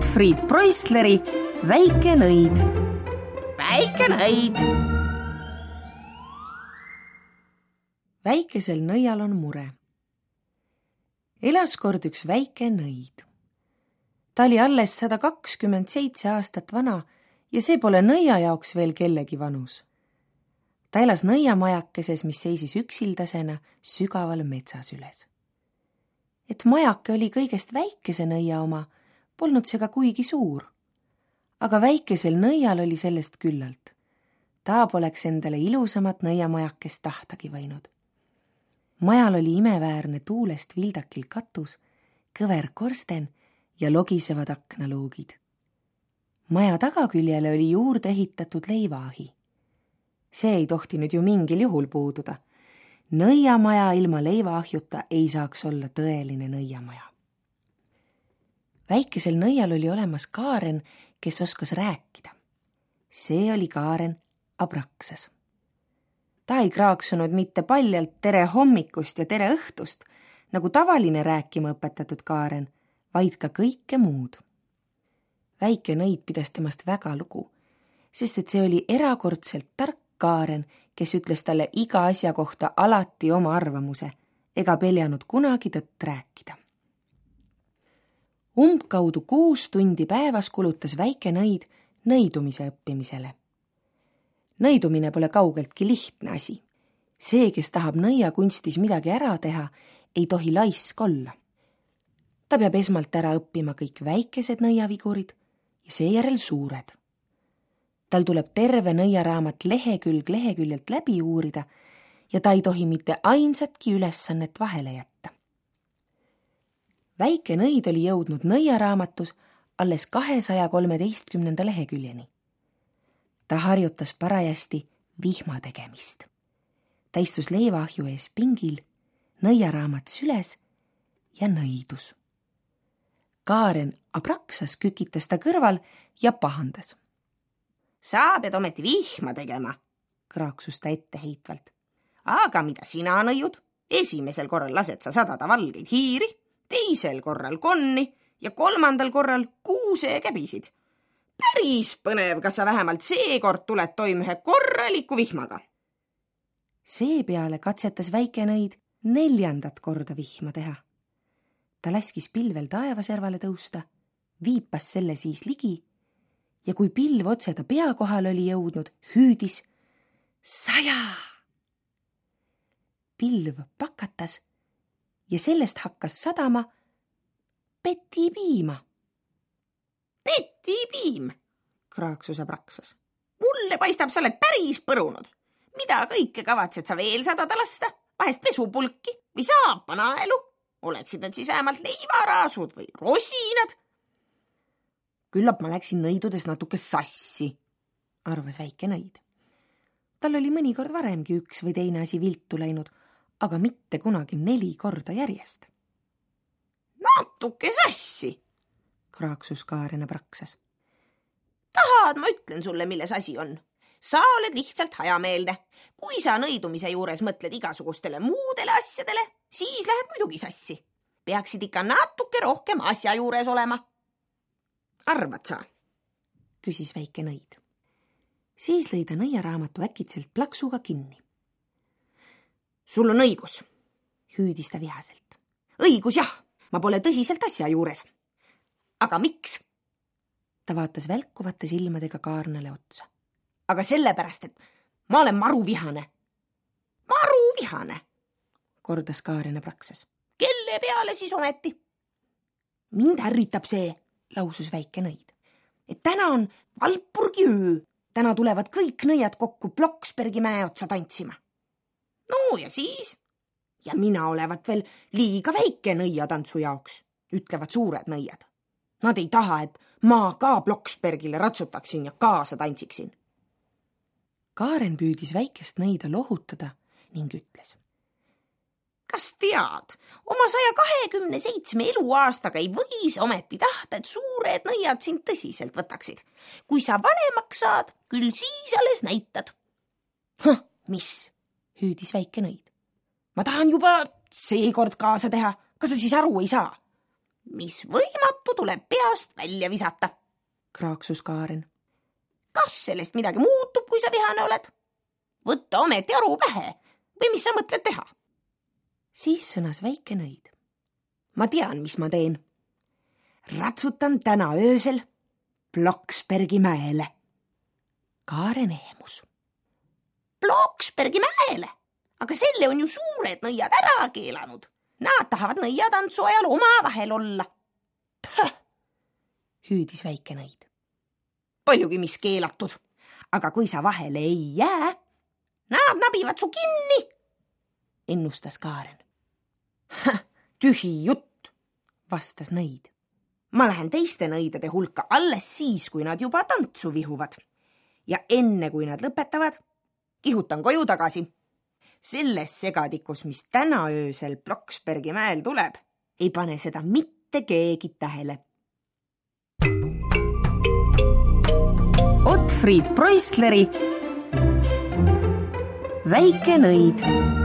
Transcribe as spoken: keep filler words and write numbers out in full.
Gottfried Preussleri Väike nõid. Väike nõid. Väikesel nõial on mure. Elas kord üks väike nõid. Ta oli alles sada kakskümmend seitse aastat vana ja see pole nõia jaoks veel kellegi vanus. Ta elas nõiamajakeses, mis seisis üksildasena sügaval metsas üles. Et majake oli kõigest väikese nõia oma, polnud see ka kuigi suur. Aga väikesel nõial oli sellest küllalt. Ta poleks endale ilusamat nõiamajakest tahtagi võinud. Majal oli imeväärne tuulest vildakil katus, kõver korsten ja logisevad aknaluugid. Maja tagaküljele oli juurde ehitatud leivaahi. See ei tohtinud ju mingil juhul puududa. Nõiamaja ilma leivaahjuta ei saaks olla tõeline nõiamaja. Väikesel nõial oli olemas Kaaren, kes oskas rääkida. See oli Kaaren Abraksas. Ta ei kraaksunud mitte paljalt tere hommikust ja tere õhtust, nagu tavaline rääkima õpetatud Kaaren, vaid ka kõike muud. Väike nõid pidas temast väga lugu, sest et see oli erakordselt tark Kaaren, kes ütles talle iga asja kohta alati oma arvamuse, ega peljanud kunagi tõtt rääkida. Umbkaudu kuus tundi päevas kulutas väike nõid nõidumise õppimisele. Nõidumine pole kaugeltki lihtne asi. See, kes tahab nõiakunstis midagi ära teha, ei tohi laisk olla. Ta peab esmalt ära õppima kõik väikesed nõiavigurid ja seejärel suured. Tal tuleb terve nõiaraamat lehekülg leheküljelt läbi uurida ja ta ei tohi mitte ainsatki ülesannet vahele jätta. Väike nõid oli jõudnud nõiaraamatus alles kahesaja kolmeteistkümnenda leheküljeni. Ta harjutas parajasti vihma tegemist. Ta istus leivaahju ees pingil, nõiaraamat süles ja nõidus. Kaaren Abraksas kükitas ta kõrval ja pahandas. Sa pead ometi vihma tegema, kraaksus ta etteheitvalt. Aga mida sina nõiud? Esimesel korral lased sa sadada valgeid hiiri, teisel korral konni ja kolmandal korral kuusekäbisid. Päris põnev, kas sa vähemalt seekord tuled toime ühe korraliku vihmaga. Seepeale katsetas väike nõid neljandat korda vihma teha. Ta laskis pilvel taevaservale tõusta, viipas selle siis ligi ja kui pilv otse ta pea kohal oli jõudnud, hüüdis saja. Pilv pakatas ja sellest hakkas sadama petipiima. Petipiim, kraaksus Abraksas. Mulle paistab, sa oled päris põrunud. Mida kõike kavatsed sa veel sadada lasta? Vahest pesupulki või saapanaelu? Oleksid nad siis vähemalt leivaraasud või rosinad? Küllap ma läksin nõidudes natuke sassi, arvas väike nõid. Tal oli mõnikord varemgi üks või teine asi viltu läinud, aga mitte kunagi neli korda järjest. Natuke sassi, kraaksus Kaaren Abraksas. Tahad, ma ütlen sulle, milles asi on. Sa oled lihtsalt hajameelne. Kui sa nõidumise juures mõtled igasugustele muudele asjadele, siis läheb muidugi sassi. Peaksid ikka natuke rohkem asja juures olema. Arvad sa? Küsis väike nõid. Siis lõi ta nõiaraamatu äkitselt plaksuga kinni. Sul on õigus, hüüdis ta vihaselt. Õigus jah, ma pole tõsiselt asja juures. Aga miks? Ta vaatas välkuvate silmadega Kaarnale otsa. Aga sellepärast, et ma olen maruvihane. Maruvihane, kordas Kaaren Abraksas. Kelle peale siis ometi? Mind ärritab see, lausus väike nõid. Et täna on Valpurgi öö. Täna tulevad kõik nõiad kokku Bloksbergi mäe otsa tantsima. No ja siis? Ja mina olevat veel liiga väike nõiatantsu jaoks, ütlevad suured nõiad. Nad ei taha, et ma ka Bloksbergile ratsutaksin ja kaasa tantsiksin. Kaaren püüdis väikest nõida lohutada ning ütles. Kas tead, oma saja kahekümne seitsme eluaastaga ei võis ometi tahta, et suured nõiad sind tõsiselt võtaksid. Kui sa vanemaks saad, küll siis alles näitad. Hah, mis? Hüüdis väike nõid. Ma tahan juba seekord kaasa teha. Kas sa siis aru ei saa? mis võimatu tuleb peast välja visata, kraaksus Kaaren. Kas sellest midagi muutub, kui sa vihane oled? Võtta ometi aru pähe või mis sa mõtled teha? Siis sõnas väike nõid. Ma tean, mis ma teen. Ratsutan täna öösel Bloksbergi mäele. Kaaren ehmus. Bloksbergi mäele? Aga selle on ju suured nõiad ära keelanud. Nad tahavad nõiatantsu ajal omavahel olla. Pöh, hüüdis väike nõid. Paljugi mis keelatud, aga kui sa vahele ei jää, nad nabivad su kinni, ennustas Kaaren. Tühi jutt, vastas nõid. Ma lähen teiste nõidade hulka alles siis, kui nad juba tantsu vihuvad. Ja enne, kui nad lõpetavad, kihutan koju tagasi. Selles segadikus, mis täna öösel Bloksbergi mäel tuleb, ei pane seda mitte keegi tähele. Otfried Preussleri Väike nõid.